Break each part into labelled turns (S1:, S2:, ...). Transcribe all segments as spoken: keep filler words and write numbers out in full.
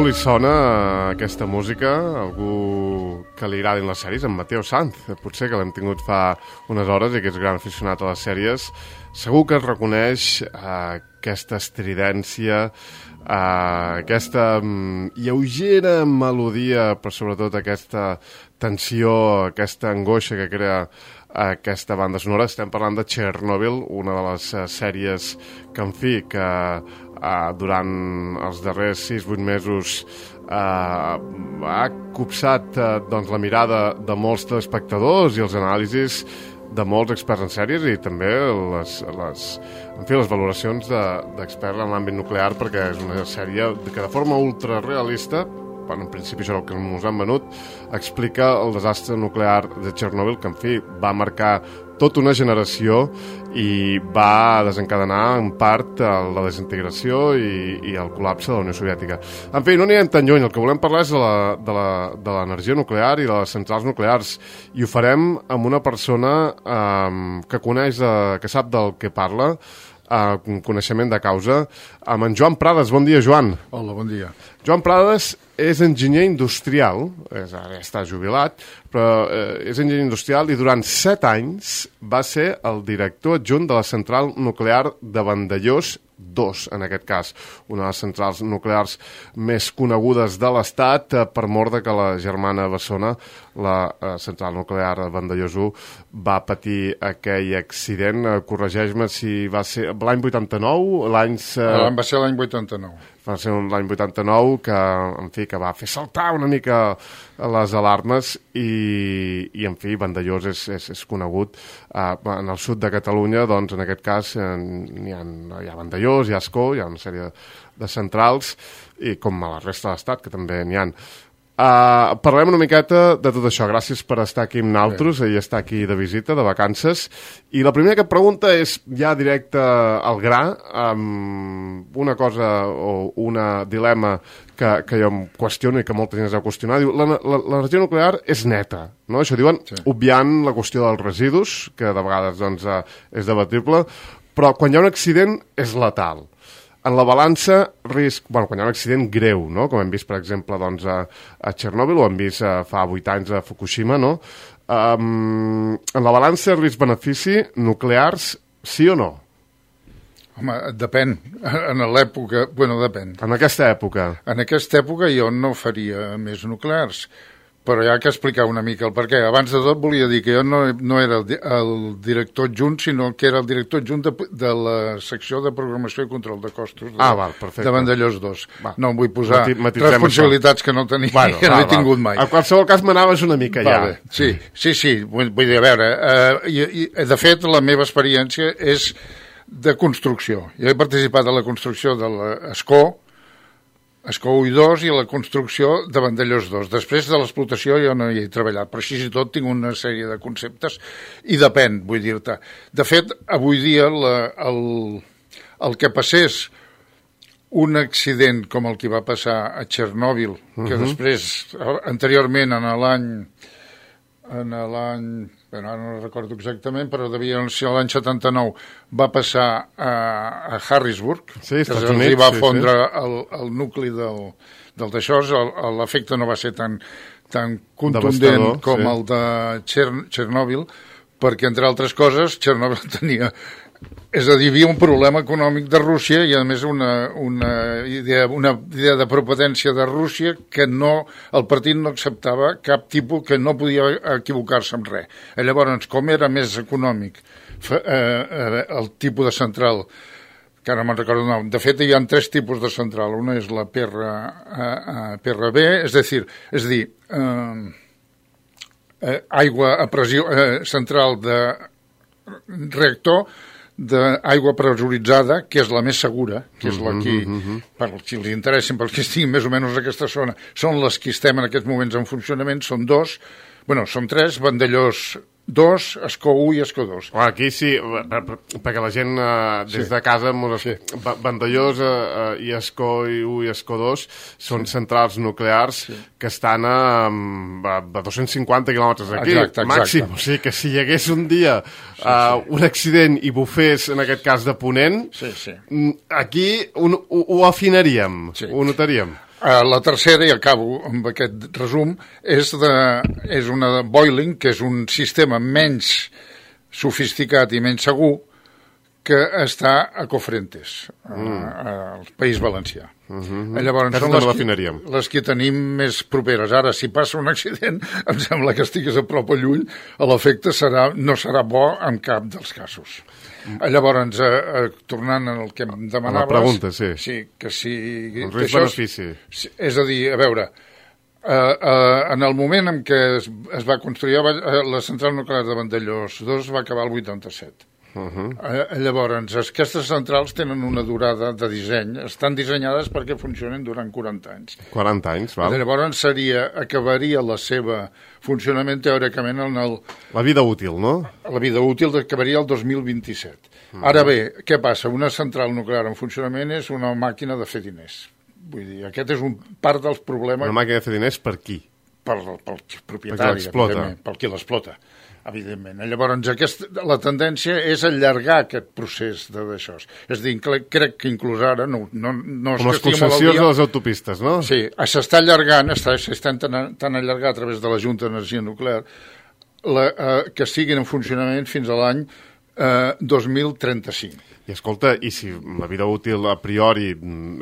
S1: algú li sona aquesta música, algú que li agradin les sèries, en Mateo Sanz, potser que l'hem tingut fa unes hores i que és gran aficionat a les sèries, segur que es reconeix eh, aquesta estridència, eh, aquesta mm, lleugera melodia, però sobretot aquesta tensió, aquesta angoixa que crea aquesta banda sonora. Estem parlant de Chernobyl, una de les uh, sèries que, en fi, que uh, durant els darrers sis vuit mesos uh, ha copsat uh, doncs, la mirada de molts telespectadors i els anàlisis de molts experts en sèries i també les, les, en fi, les valoracions d'experts de, en l'àmbit nuclear, perquè és una sèrie que de forma ultrarealista, bueno, en principi això és el que ens han venut, explica el desastre nuclear de Chernobyl, que en fi va marcar tota una generació i va desencadenar en part la desintegració i, i el col·lapse de la Unió Soviètica. En fi, no anirem tan lluny, el que volem parlar és de l'energia nuclear i de les centrals nuclears, i ho farem amb una persona eh, que coneix, eh, que sap del que parla, Uh, un coneixement de causa, amb en Joan Prades. Bon dia, Joan.
S2: Hola, bon dia.
S1: Joan Prades és enginyer industrial, és, ara està jubilat, però eh, és enginyer industrial i durant set anys va ser el director adjunt de la central nuclear de Vandellós dos, en aquest cas, una de les centrals nuclears més conegudes de l'Estat, eh, per mort de que la germana Bessona, la eh, central nuclear de Vandellós u, va patir aquell accident. Eh, corregeix-me si va ser l'any vuitanta-nou, l'any...
S2: Eh... Va ser l'any vuitanta-nou.
S1: Va ser l'any vuitanta-nou que, en fi, que va fer saltar una mica les alarmes i, i en fi, Vandellós és, és, és conegut. Uh, en el sud de Catalunya, doncs, en aquest cas, eh, hi, ha, hi ha Vandellós, hi ha Ascó, hi ha una sèrie de centrals, i com a la resta de l'Estat, que també n'hi ha. Uh, parlem una miqueta de tot això. Gràcies per estar aquí amb nosaltres i estar aquí de visita, de vacances. I la primera que et pregunta és ja directe al gra, um, una cosa o una dilema que, que jo em qüestiono i que molta gent es va qüestionar. Diu, l'energia nuclear és neta, no? Això diuen, sí. Obviant la qüestió dels residus, que de vegades doncs, uh, és debatible, però quan hi ha un accident és letal. En la balança, risc... Bueno, quan hi ha un accident greu, no? Com hem vist, per exemple, doncs, a, a Chernobyl, o hem vist a, fa vuit anys a Fukushima, no? Um, en la balança, risc-benefici, nuclears, sí o no?
S2: Home, depèn. En l'època... Bueno, depèn.
S1: En aquesta època?
S2: En aquesta època jo no faria més nuclears, però hi ha que explicar una mica el per què. Abans de tot volia dir que jo no, no era el, el director adjunt, sinó que era el director adjunt de, de la secció de programació i control de costos de,
S1: ah, val, perfecte.
S2: De Vandellós dos. Va. No em vull posar
S1: Mati,
S2: responsabilitats això. Que no tenia, bueno, que no he tingut mai.
S1: En qualsevol cas m'anaves una mica
S2: vale. Ja. Sí, sí, sí. Vull, vull dir, a veure, eh, i, i, de fet, la meva experiència és de construcció. Jo he participat a la construcció de l'Escó, Escó u i dos, i la construcció de Vandellós dos. Després de l'explotació jo no hi he treballat, però així i tot tinc una sèrie de conceptes i depèn, vull dir-te. De fet, avui dia la, el, el que passés un accident com el que va passar a Chernobyl, uh-huh. que després, anteriorment, en l'any... en l'any... Bueno, ara no recordo exactament, però devia ser l'any setanta-nou, va passar a, a Harrisburg,
S1: sí,
S2: que els hi va fondre sí, sí. El, el nucli del, del d'això. L'efecte no va ser tan, tan contundent com sí. el de Chernobyl, perquè, entre altres coses, Chernobyl tenia... És a dir, hi havia un problema econòmic de Rússia i, a més, una, una, idea, una idea de propotència de Rússia que no, el partit no acceptava cap tipus, que no podia equivocar-se amb res. I llavors, com era més econòmic eh, eh, el tipus de central, que ara me'n recordo el nom, de fet hi ha tres tipus de central. Una és la P R, eh, P R B, és a dir, és a dir eh, eh, aigua a pressió eh, central de reactor, d'aigua pressuritzada, que és la més segura, que és la que, uh-huh. per si els interessen, per qui estiguin més o menys a aquesta zona, són les que estem en aquests moments en funcionament, són dos, bueno, són tres, Vandellós dos, Escó u i Escó dos.
S1: Bueno, aquí sí, perquè la gent eh, des sí. de casa, sí. Vandellós eh, i Escó u i Escó dos són sí. centrals nuclears sí. que estan a, a dos-cents cinquanta quilòmetres d'aquí,
S2: exacte, exacte.
S1: màxim. O sigui que si hi hagués un dia sí, sí. Uh, un accident i bufés, en aquest cas de Ponent,
S2: sí, sí.
S1: aquí un, ho, ho afinaríem, sí. ho notaríem.
S2: La tercera, i acabo amb aquest resum, és, de, és una de boiling, que és un sistema menys sofisticat i menys segur, que està a Cofrentes, mm. al País Valencià.
S1: Mm-hmm.
S2: Llavors, són les que, les que tenim més properes. Ara, si passa un accident, em sembla que estigués a prop o lluny, l'efecte serà, no serà bo en cap dels casos. Mm. Llavors, eh, eh, tornant al que em demanaves...
S1: A la pregunta, sí.
S2: Sí, que si...
S1: Un risc-benefici.
S2: És, és a dir, a veure, eh, eh, en el moment en què es, es va construir eh, la central nuclear de Vandellós dos va acabar el vuitanta-set. Uh-huh. Eh, llavors, aquestes centrals tenen una durada de disseny, estan dissenyades perquè funcionen durant quaranta anys.
S1: quaranta anys, val.
S2: Llavors seria, acabaria la seva funcionament teòricament en el...
S1: La vida útil, no?
S2: La vida útil acabaria el dos mil vint-i-set. Uh-huh. Ara bé, què passa? Una central nuclear en funcionament és una màquina de fer diners. Vull dir, aquest és un part dels problemes...
S1: Una màquina de fer diners per qui?
S2: Pel, pel propietari, evidentment, pel qui l'explota. Evidentment. Llavors, aquest, la tendència és allargar aquest procés d'això. És a dir, crec que inclús ara... No, no, no
S1: Com les concessions de les autopistes, no?
S2: Sí, s'està allargant, s'està tan, tan allargar a través de la Junta d'Energia Nuclear, la, eh, que siguin en funcionament fins a l'any eh, dos mil trenta-cinc.
S1: I escolta, i si la vida útil a priori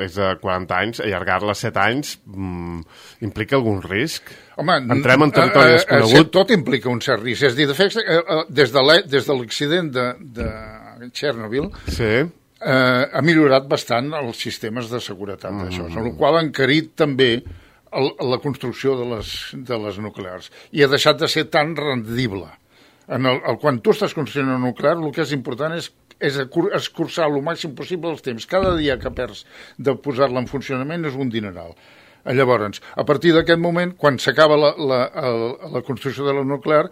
S1: és de quaranta anys, allargar-la a set anys mm, implica algun risc?
S2: Home,
S1: entrem en territori desconegut?
S2: Tot implica un cert risc. És a dir, de fet, des de l'accident de, de Chernobyl,
S1: sí.
S2: eh, ha millorat bastant els sistemes de seguretat mm. d'això, amb la qual ha encarit també el, la construcció de les, de les nuclears i ha deixat de ser tan rendible. En el, el, quan tu estàs construint una nuclear, el que és important és és escurçar el màxim possible els temps. Cada dia que perds de posar-la en funcionament és un dineral. Llavors, a partir d'aquest moment, quan s'acaba la, la, la, la construcció de la nuclear,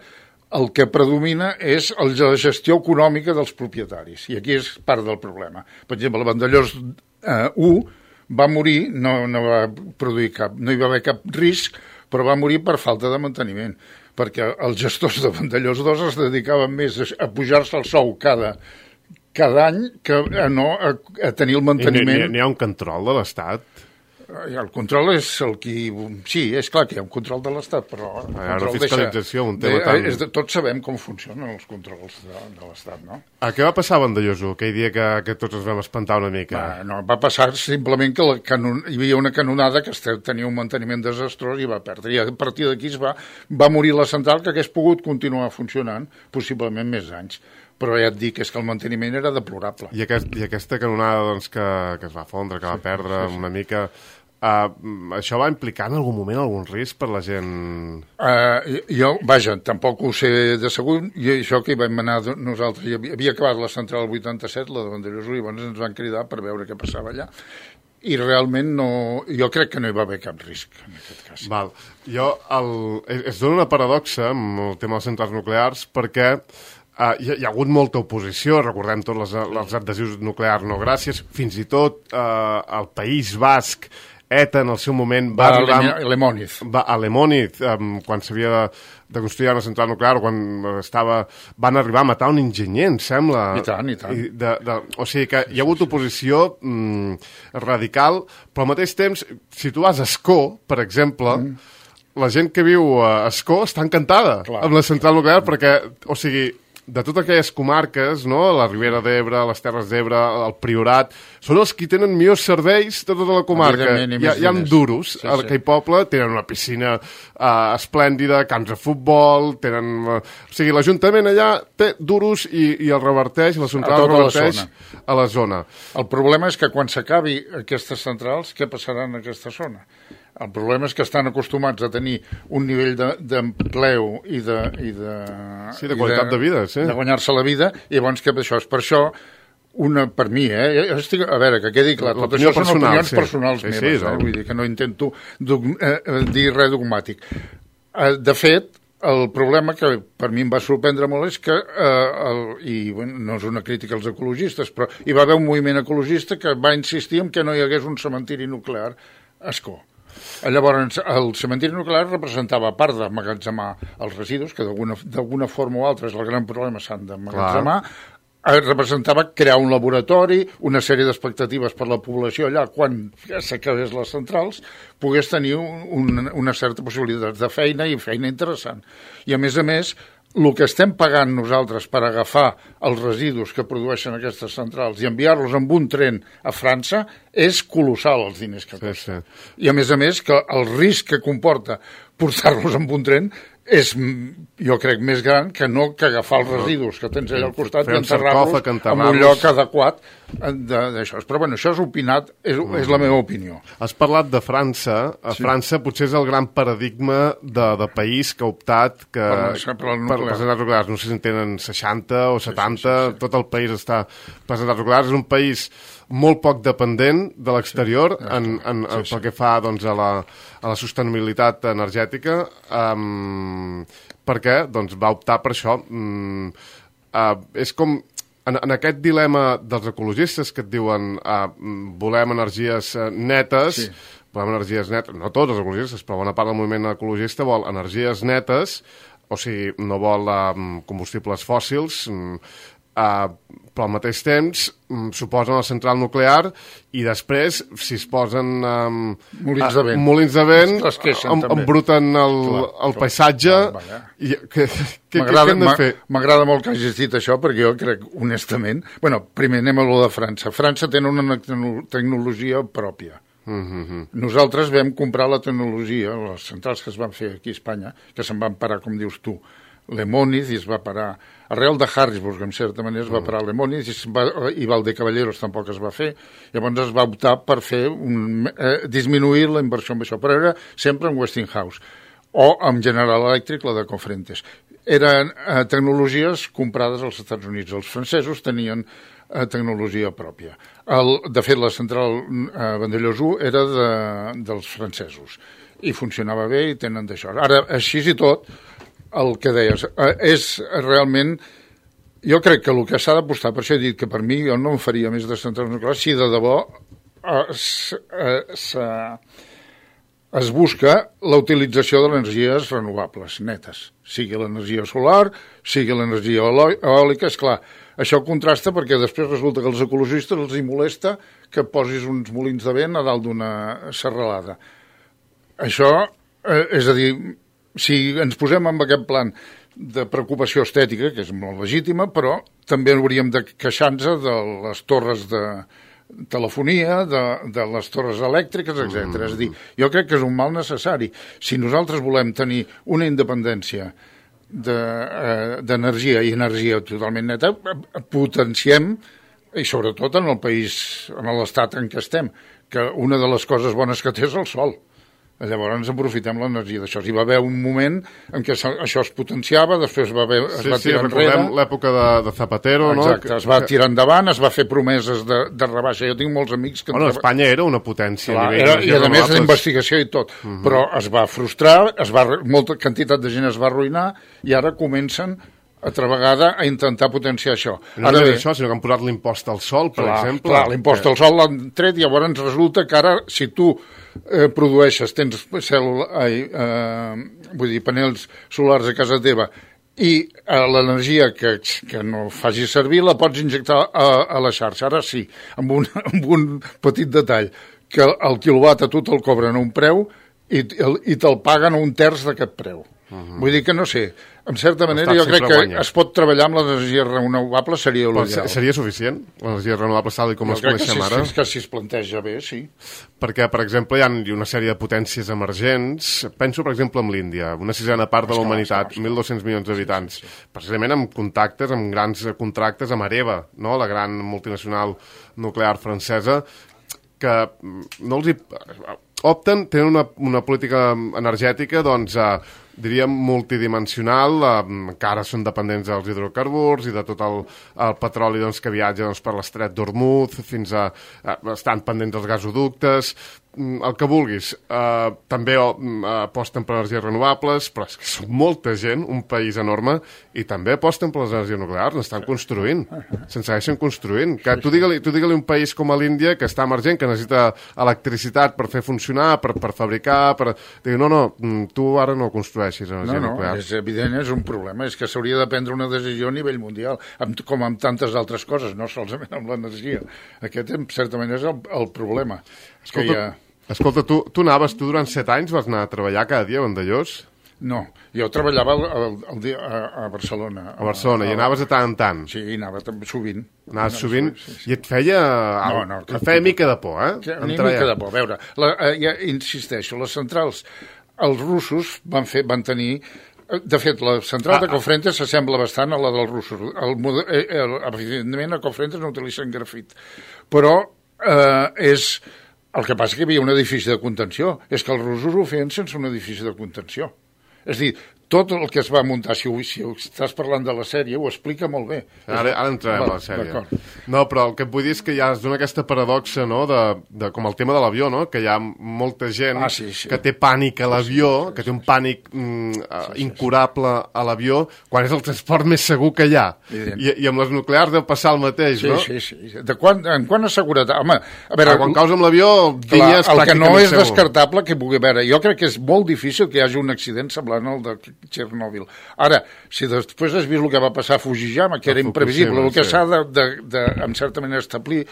S2: el que predomina és la gestió econòmica dels propietaris. I aquí és part del problema. Per exemple, el Vandellós eh, u va morir, no, no va produir cap, no hi va haver cap risc, però va morir per falta de manteniment, perquè els gestors de Vandellós dos es dedicaven més a pujar-se el sou cada cada any que no a, a tenir el manteniment...
S1: N'hi ha un control de l'Estat?
S2: El control és el qui... Sí, és clar que hi ha un control de l'Estat, però...
S1: La fiscalització, un tema
S2: de,
S1: tan...
S2: És de, tots sabem com funcionen els controls de, de l'Estat, no?
S1: A què va passar a Vandellós u, aquell dia que, que tots ens vam espantar una mica?
S2: Va, no, va passar simplement que la canon... hi havia una canonada que tenia un manteniment desastrós i va perdre. I a partir d'aquí va, va morir la central, que hagués pogut continuar funcionant possiblement més anys. Però ja et dic, és que el manteniment era deplorable.
S1: I, aquest, i aquesta canonada doncs, que, que es va fondre, que va perdre sí, sí, sí. una mica... Uh, això va implicar en algun moment algun risc per la gent?
S2: Uh, jo, vaja, tampoc ho sé de segur. I això que hi vam anar nosaltres, hi havia, havia acabat la central el vuitanta-set, la de Vandellós, i llavors ens van cridar per veure què passava allà. I realment no... Jo crec que no hi va haver cap risc, en aquest cas.
S1: Val. Jo, el, es dona una paradoxa amb el tema dels centrals nuclears, perquè Uh, hi, ha, hi ha hagut molta oposició, recordem tots les, els adhesius nuclears no gràcies, fins i tot uh, el País Basc, E T A en el seu moment va,
S2: va arribar... A Lemóniz.
S1: Va, a Lemóniz, um, quan s'havia de, de construir una central nuclear, o quan estava, van arribar a matar un enginyer, em sembla.
S2: I tant, i tant.
S1: I de, de, o sigui que hi ha hagut oposició mm, radical, però al mateix temps, si tu vas a Ascó, per exemple... Mm. La gent que viu a Ascó està encantada Clar. amb la central nuclear perquè, o sigui, de totes aquelles comarques, no? La Ribera d'Ebre, les Terres d'Ebre, el Priorat, són els que tenen millors serveis de tota la comarca. Hi ha, hi ha duros, sí, sí. Aquell poble tenen una piscina uh, esplèndida, camps de futbol, tenen... Uh, o sigui, l'Ajuntament allà té duros i, i el reverteix, la central reverteix la a la zona.
S2: El problema és que quan s'acabi aquestes centrals, què passarà en aquesta zona? El problema és que estan acostumats a tenir un nivell d'empleu i de... I de
S1: sí, de qualitat de, de vida, sí.
S2: De guanyar-se la vida, i llavors que això és per això, una, per mi, eh? Estic, a veure, que quedi clar, tot això són
S1: personal,
S2: opinions
S1: sí.
S2: personals
S1: sí,
S2: meves,
S1: sí,
S2: eh? Vull dir que no intento dog, eh, dir res dogmàtic. Eh, de fet, el problema que per mi em va sorprendre molt és que, eh, el, i bueno, no és una crítica als ecologistes, però hi va haver un moviment ecologista que va insistir en que no hi hagués un cementiri nuclear a Ascó. Llavors, el cementiri nuclear representava, a part d'emmagatzemar els residus, que d'alguna forma o altra és el gran problema, s'han d'emmagatzemar, representava crear un laboratori, una sèrie d'expectatives per la població allà, quan s'acabés les centrals, pogués tenir un, un, una certa possibilitat de feina i feina interessant. I a més a més, el que estem pagant nosaltres per agafar els residus que produeixen aquestes centrals i enviar-los amb un tren a França és colossal, els diners que costa. Sí, sí. I a més a més que el risc que comporta portar-los amb un tren és, jo crec, més gran que no que agafar els residus que tens allà al costat i enterrar-los en un lloc adequat d'això. Però bueno, això és opinat, és, mm. és la meva opinió.
S1: Has parlat de França. A sí. França potser és el gran paradigma de, de país que ha optat que, per, per, per les centrals nuclears. No sé si en tenen seixanta o setanta, sí, sí, sí, sí. Tot el país està per centrals nuclears. És un país molt poc dependent de l'exterior sí, en, en, en, sí, pel que fa doncs, a, la, a la sostenibilitat energètica, um, perquè doncs, va optar per això. Um, uh, és com, en, en aquest dilema dels ecologistes que et diuen uh, volem energies uh, netes, sí. volem energies netes, no tots els ecologistes, però bona part del moviment ecologista vol energies netes, o sigui, no vol uh, combustibles fòssils, um, Uh, però al mateix temps um, suposen la central nuclear i després, si es posen um,
S2: molins de vent,
S1: uh, molins de vent em, embruten el, clar, el paisatge clar, i, que, que, què hem de fer?
S2: M'agrada molt que hagis dit això perquè jo crec, honestament, bueno, primer anem a lo de França. França té una tecnologia pròpia. Mm-hmm. Nosaltres vam comprar la tecnologia, les centrals que es van fer aquí a Espanya, que se'n van parar, com dius tu, Lemóniz, i es va parar arrel de Harrisburg, en certa manera es va parar Lemóniz, i, va, i Valdecaballeros tampoc es va fer. Llavors es va optar per fer un, eh, disminuir la inversió en això, però era sempre en Westinghouse o amb General Electric, la de Cofrentes. Eren eh, tecnologies comprades als Estats Units. Els francesos tenien eh, tecnologia pròpia. El, de fet, la central eh, Vandellós u era de, dels francesos i funcionava bé i tenen d'això. Ara, així i tot, el que deies, eh, és realment, jo crec que el que s'ha d'apostar, per això he dit que per mi jo no em faria més de centrals nuclears, si de debò eh, s, eh, s, es busca la utilització de les energies renovables, netes, sigui l'energia solar, sigui l'energia eòlica, és clar, això contrasta perquè després resulta que els ecologistes els hi molesta que posis uns molins de vent a dalt d'una serralada. Això, eh, és a dir, si ens posem en aquest plan de preocupació estètica, que és molt legítima, però també hauríem de queixar-nos de les torres de telefonia, de, de les torres elèctriques, etcètera. Mm. És a dir, jo crec que és un mal necessari. Si nosaltres volem tenir una independència d'energia de, eh, i energia totalment neta, potenciem, i sobretot en el país, en l'estat en què estem, que una de les coses bones que té és el sol. Llavors ens aprofitem l'energia d'això. Hi va haver un moment en què això es potenciava, després va haver, es
S1: sí,
S2: va
S1: sí,
S2: tirar enrere.
S1: Sí, l'època de, de Zapatero,
S2: exacte,
S1: no?
S2: Es va tirar endavant, es va fer promeses de, de rebaixa. Jo tinc molts amics que...
S1: Bueno, Espanya era una potència.
S2: Clar,
S1: a nivell
S2: era, I a més d'investigació i tot. Uh-huh. Però es va frustrar, es va, molta quantitat de gent es va arruïnar i ara comencen altra vegada a intentar potenciar això.
S1: No ara bé, això, sinó que han posat l'impost al sol, per clar, exemple.
S2: Clar, l'impost que... al sol l'han tret i llavors ens resulta que ara, si tu eh, produeixes, tens cel, eh, eh, vull dir, panells solars a casa teva i eh, l'energia que, que no facis servir la pots injectar a, a la xarxa. Ara sí, amb un, amb un petit detall, que el quilowatt a tu te'l cobren a un preu i, i te'l paguen a un terç d'aquest preu. Uh-huh. Vull dir que no sé, en certa manera jo crec que guanya. Es pot treballar amb l'energia renovable, seria l'ideal.
S1: Seria suficient, l'energia renovable tal com les coneixem ara?
S2: Jo crec que si es planteja bé, sí.
S1: Perquè, per exemple, hi ha una sèrie de potències emergents, penso, per exemple, en l'Índia, una sisena part de la humanitat, mil dos-cents milions d'habitants, sí, sí, sí. Precisament amb contactes, amb grans contractes amb Areva, no? La gran multinacional nuclear francesa, que no els hi... opten, tenen una, una política energètica, doncs, eh, diríem, multidimensional, eh, encara són dependents dels hidrocarburs i de tot el, el petroli doncs, que viatja doncs, per l'estret d'Hormuz, fins a... Eh, estan pendents dels gasoductes, el que vulguis. Eh, també eh, aposten per energies renovables, però és que són molta gent, un país enorme, i també aposten per les energies nuclears, n'estan construint, se'n segueixen construint. Que tu digue-li tu digue-li un país com a l'Índia, que està emergent, que necessita electricitat per fer funcionar, per, per fabricar, per... Diu, no, no, tu ara no construeixes. construeixis energia
S2: no, no,
S1: nuclear.
S2: és evident, és un problema. És que s'hauria de prendre una decisió a nivell mundial, amb, com amb tantes altres coses, no solament amb l'energia. Aquest, certament, és el, el problema.
S1: Escolta,
S2: que ha...
S1: escolta tu, tu anaves, tu durant set anys vas anar a treballar cada dia a Vandellòs?
S2: No, jo treballava el, el, el dia a, a Barcelona.
S1: A Barcelona, a, a, i anaves de tant en tant?
S2: Sí, anava sovint.
S1: Anaves sovint? Sí, sí. I et feia...
S2: No, no.
S1: Et feia mica de por, eh?
S2: Sí, una mica de por. A veure, la, ja insisteixo, les centrals, els russos van, fer, van tenir... De fet, la central ah, de Cofrentes s'assembla bastant a la dels russos. El, el, el, evidentment, a Cofrentes no utilitzen grafit. Però eh, és... El que passa que hi havia un edifici de contenció. És que els russos ho feien sense un edifici de contenció. És a dir, tot el que es va muntar, si, ho, si ho estàs parlant de la sèrie, ho explica molt bé.
S1: Ara, ara entrarem a la sèrie. No, però el que et vull dir és que ja es dona aquesta paradoxa, no?, de, de, com el tema de l'avió, no?, que hi ha molta gent
S2: ah, sí, sí.
S1: que té pànic a l'avió, sí, sí, que té un pànic mm, sí, sí, incurable a l'avió, quan és el transport més segur que hi ha. I, I amb les nuclears deu passar el mateix,
S2: sí,
S1: no?
S2: Sí, sí, sí. De quan, en quant a seguretat? Home, a veure...
S1: Ah, quan caus amb l'avió,
S2: dies pràcticament segur. El que no és descartable que pugui haver... Jo crec que és molt difícil que hi hagi un accident semblant al de Chernobyl. Ara, si després has vist el que va passar a Fukushima, que era imprevisible, el que s'ha de, de, de, en certa manera, establir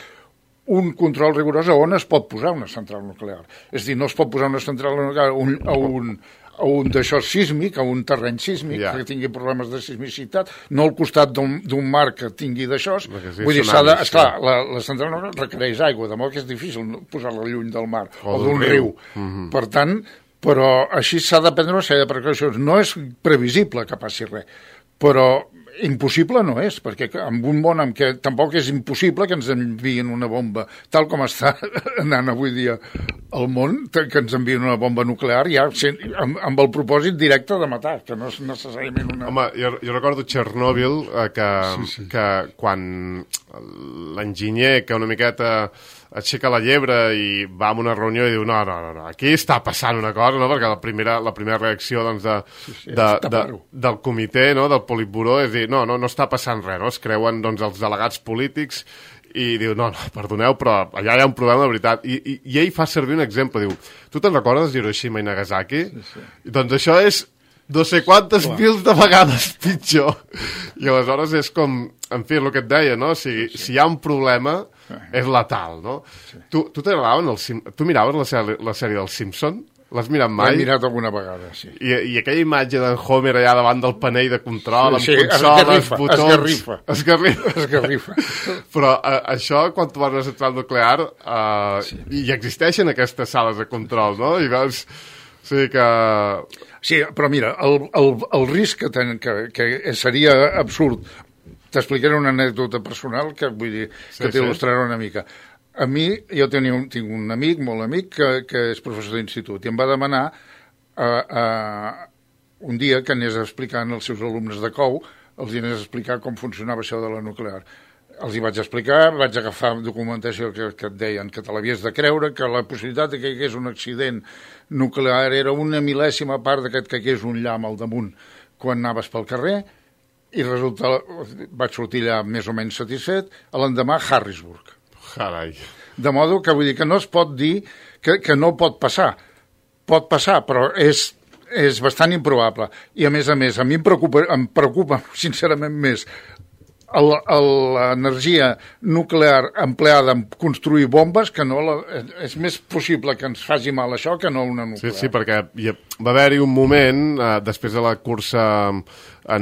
S2: un control rigorós a on es pot posar una central nuclear. És a dir, no es pot posar una central nuclear a un, a un, a un d'això sísmic, a un terreny sísmic, yeah, que tingui problemes de sismicitat, no al costat d'un mar que tingui d'això. Sí, vull dir, s'ha de... Esclar, la, la central nuclear requereix aigua, de modo que és difícil posar-la lluny del mar o, o d'un riu. riu. Mm-hmm. Per tant, però així s'ha de prendre una sèrie de precaucions. No és previsible que passi res, però impossible no és, perquè en un món en què tampoc és impossible que ens envien una bomba, tal com està anant avui dia el món, que ens envien una bomba nuclear ja amb, amb el propòsit directe de matar, que no és necessàriament una...
S1: Home, jo, jo recordo Chernobyl, eh, que, sí, sí. que quan l'enginyer, que una miqueta aixeca la llebre i va a una reunió i diu no, no, no, no, aquí està passant una cosa, no? Perquè la primera, la primera reacció doncs, de, sí, sí, de, de, del comitè, no? Del Politburó, és dir, no, no, no està passant res, no? Es creuen doncs, els delegats polítics i diu, no, no, perdoneu, però allà hi ha un problema de veritat. I, i, i ell fa servir un exemple, diu, tu te'n recordes d'Hiroshima i Nagasaki? Sí, sí. Doncs això és no sé quantes Clar. mils de vegades pitjor. I aleshores és com, en fi, el que et deia, no? Si, sí, sí. si hi ha un problema, és letal, no? Sí. Tu, tu t'agradaven els Sim... Tu miraves la sèrie, la sèrie dels Simpson? L'has mirat mai?
S2: L'he mirat alguna vegada, sí.
S1: I, I aquella imatge d'en Homer allà davant del panell de control,
S2: sí, sí,
S1: amb consoles, botons...
S2: Esgarrifa,
S1: esgarrifa.
S2: Esgarrifa.
S1: Però uh, això, quan tu vas a una central nuclear, uh, sí. hi existeixen aquestes sales de control, no? I veus... O sigui que...
S2: Sí, però mira, el, el, el risc que, ten, que, que seria absurd. T'explicaré una anècdota personal que vull dir sí, que t'il·lustrarà una mica. A mi, jo tenia un, tinc un amic, molt amic, que, que és professor d'institut, i em va demanar uh, uh, un dia que anés explicant als seus alumnes de C O U, els anés a explicar com funcionava això de la nuclear. Els hi vaig explicar, vaig agafar documentació que, que et deien que te l'havies de creure, que la possibilitat que hi hagués un accident nuclear era una mil·lèsima part d'aquest que hi hagués un llamp al damunt quan anaves pel carrer, i resulta, vaig sortir allà més o menys satisfet, a l'endemà Harrisburg.
S1: Carai.
S2: De modo que vull dir que no es pot dir que, que no pot passar. Pot passar, però és, és bastant improbable. I a més a més, a mi em preocupa, em preocupa sincerament més l'energia nuclear empleada en construir bombes, que no la, és més possible que ens faci mal això que no una nuclear.
S1: Sí, sí, perquè va haver-hi un moment, eh, després de la cursa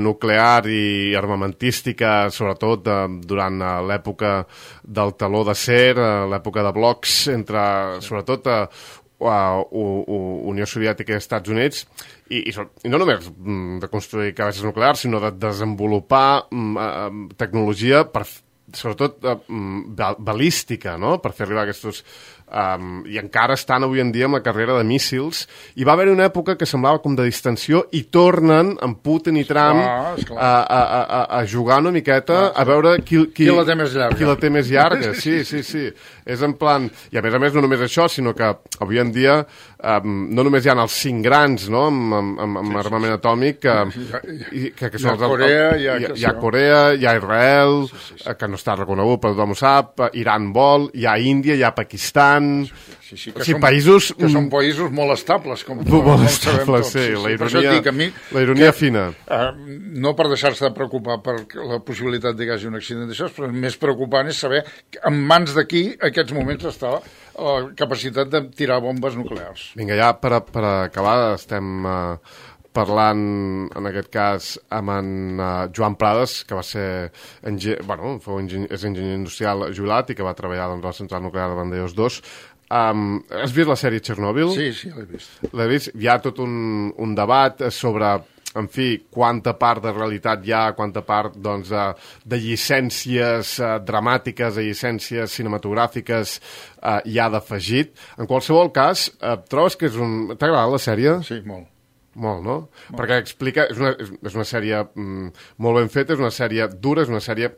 S1: nuclear i armamentística, sobretot eh, durant eh, l'època del teló d'acer, eh, l'època de blocs entre, sobretot, eh, Uh, Unió Soviètica i Estats Units, i, i, i no només mm, de construir cabesses nuclears, sinó de desenvolupar mm, uh, tecnologia per, sobretot uh, balística, no? Per fer arribar aquests... Um, i encara estan avui en dia amb la carrera de míssils, i va haver una època que semblava com de distensió i tornen amb Putin i Trump a, a, a, a jugar una miqueta, ah, a veure qui, qui,
S2: qui la té més llarga,
S1: qui la té més llarga. Sí, sí, sí, és en plan, i a més a més no només això, sinó que avui en dia um, no només hi ha els cinc grans, no?, amb, amb, amb, amb sí, armament sí, atòmic que,
S2: sí.
S1: i, que, que són
S2: hi ha Corea, hi ha,
S1: hi ha Corea, hi ha Israel, sí, sí, sí. que no no està reconegut, però tothom ho sap, Iran vol, hi ha Índia, hi ha Pakistan...
S2: Sí, sí, que,
S1: o sigui,
S2: són,
S1: països...
S2: que són països molt estables, com,
S1: molt
S2: com
S1: estables, sí, sí, sí. La ironia,
S2: dic, mi,
S1: la ironia
S2: que,
S1: fina.
S2: Uh, no per deixar-se de preocupar per la possibilitat que hi hagi un accident d'això, però el més preocupant és saber en mans de qui en aquests moments està la capacitat de tirar bombes nuclears.
S1: Vinga, ja per, per acabar estem... Uh, parlant, en aquest cas, amb en uh, Joan Prades, que va ser enginyer, bueno, fou enginyer, és enginyer industrial jubilat i que va treballar doncs, a la central nuclear de Vandellòs dos. Um, has vist la sèrie Txernòbil?
S2: Sí, sí, l'he vist.
S1: L'he vist. Hi ha tot un, un debat sobre, en fi, quanta part de realitat hi ha, quanta part doncs, de, de llicències uh, dramàtiques, de llicències cinematogràfiques uh, hi ha d'afegit. En qualsevol cas, uh, trobes que és un... T'ha agradat la sèrie?
S2: Sí, molt.
S1: Molt, no? Molt. Perquè explica... És una, és una sèrie mm, molt ben feta, és una sèrie dura, és una sèrie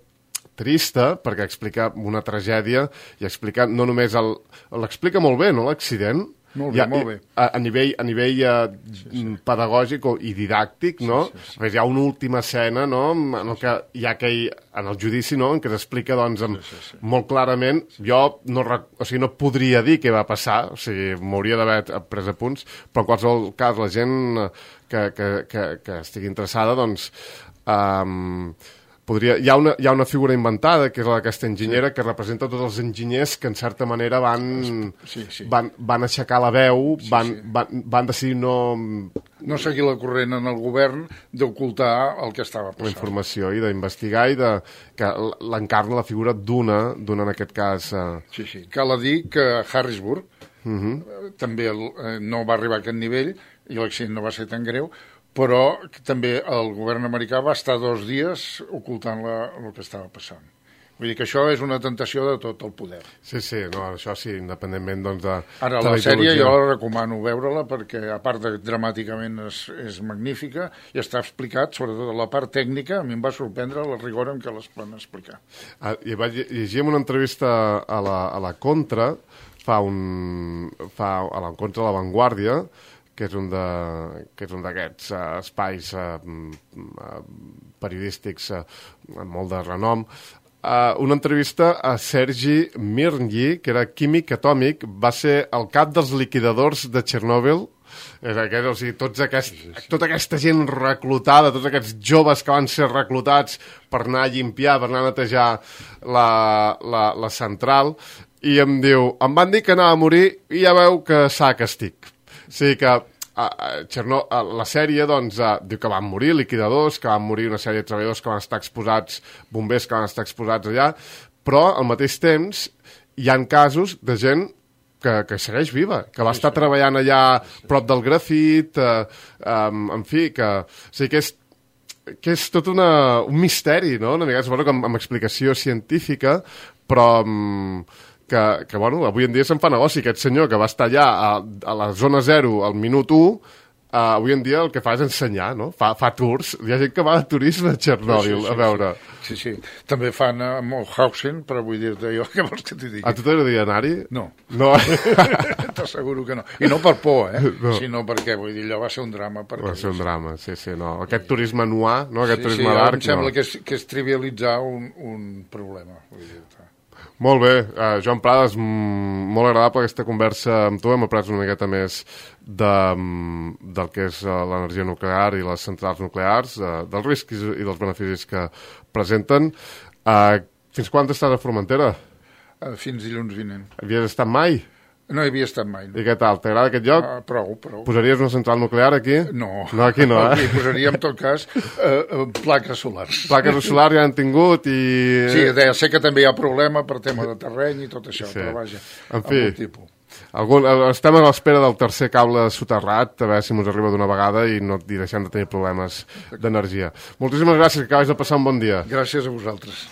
S1: trista, perquè explica una tragèdia i explica no només el... L'explica molt bé, no?, l'accident.
S2: Molt bé, ha, molt bé.
S1: A, a nivell, a nivell uh, sí, sí. pedagògic i didàctic, no? Sí, sí, sí. Hi ha una última escena, no?, en el que hi ha aquell, en el judici, no?, en què s'explica, doncs, amb, sí, sí, sí. molt clarament. Jo no, o sigui, no podria dir què va passar, o sigui, m'hauria d'haver pres apunts, però en qualsevol cas la gent que, que, que, que estigui interessada, doncs... Um, Podria, hi, ha una, hi ha una figura inventada, que és la d'aquesta enginyera, sí. que representa tots els enginyers que, en certa manera, van,
S2: sí, sí.
S1: van, van aixecar la veu,
S2: sí,
S1: van,
S2: sí.
S1: Van, van decidir no...
S2: No seguir la corrent en el govern d'ocultar el que estava passant.
S1: La informació i d'investigar i de, que l'encarna la figura d'una, d'una en aquest cas... Uh...
S2: Sí, sí. Cal dir que Harrisburg
S1: uh -huh.
S2: també el, eh, no va arribar a aquest nivell i l'accident no va ser tan greu, però també el govern americà va estar dos dies ocultant la, el que estava passant. Vull dir que això és una tentació de tot el poder.
S1: Sí, sí, no, això sí, independentment doncs, de...
S2: Ara,
S1: de
S2: la sèrie jo la recomano veure-la perquè, a part de dramàticament, és, és magnífica i està explicat, sobretot la part tècnica, a mi em va sorprendre la rigor amb què les poden explicar.
S1: Ah, i vaig llegir en una entrevista a la, a la Contra, fa un, fa, a la Contra de la Vanguardia, que és un de, que és un d'aquests uh, espais uh, uh, periodístics uh, amb molt de renom, uh, una entrevista a Sergi Mirnyi, que era químic atòmic, va ser el cap dels liquidadors de Txernòbil. És aquest, o sigui, tots aquest, sí, sí. tota aquesta gent reclutada, tots aquests joves que van ser reclutats per anar a llimpiar, per anar a netejar la, la, la central, i em diu, em van dir que anava a morir i ja veu que s'ha que estic. O sigui que a, a Chernó, a la sèrie doncs, a, diu que van morir liquidadors, que van morir una sèrie de treballadors que van estar exposats, bombers que van estar exposats allà, però al mateix temps hi han casos de gent que, que segueix viva, que va estar treballant allà prop del grafit, eh, um, en fi, que, o sigui, que és que és tot una, un misteri, no? Una mica, suposo que amb, amb explicació científica, però... Um, que, que bueno, avui en dia se'n fa negoci. Aquest senyor que va estar allà a, a la zona zero al minut u, uh, avui en dia el que fa és ensenyar, no? Fa, fa tours. Hi ha gent que va de turisme a Txernòbil, sí, sí, sí, a veure.
S2: Sí, sí. També fan a Mauthausen, però vull dir-te jo, què vols que t'hi digui?
S1: A tu t'agradaria anar-hi?
S2: No.
S1: No.
S2: T'asseguro que no. I no per por, eh?
S1: No.
S2: Sinó perquè, vull dir, allò va ser un drama.
S1: Va ser un drama, sí, sí, no. Aquest turisme noir, no? Aquest
S2: sí,
S1: turisme
S2: sí,
S1: d'arc,
S2: em sembla
S1: no.
S2: que és, que és trivialitzar un, un problema, vull dir-te.
S1: Molt bé, uh, Joan Prades, mm, molt agradable aquesta conversa amb tu, hem après una miqueta més de, mm, del que és uh, l'energia nuclear i les centrals nuclears, uh, dels riscs i dels beneficis que presenten. Uh, fins quan estàs a Formentera?
S2: Uh, fins dilluns vinent.
S1: Havies estat mai?
S2: No hi havia estat mai. No.
S1: I què tal? T'agrada aquest lloc?
S2: Uh, prou, prou.
S1: Posaries una central nuclear aquí?
S2: No.
S1: No, aquí no, eh?
S2: Aquí posaria, en tot cas, uh, uh, plaques solars.
S1: Plaques solars ja han tingut i...
S2: Sí, deia, sé que també hi ha problema per tema de terreny i tot això, sí. Però vaja,
S1: en fi,
S2: tipus.
S1: Algun, estem a l'espera del tercer cable soterrat, a veure si ens arriba d'una vegada i no i deixem de tenir problemes d'energia. Moltíssimes gràcies, que acabes de passar un bon dia.
S2: Gràcies a vosaltres.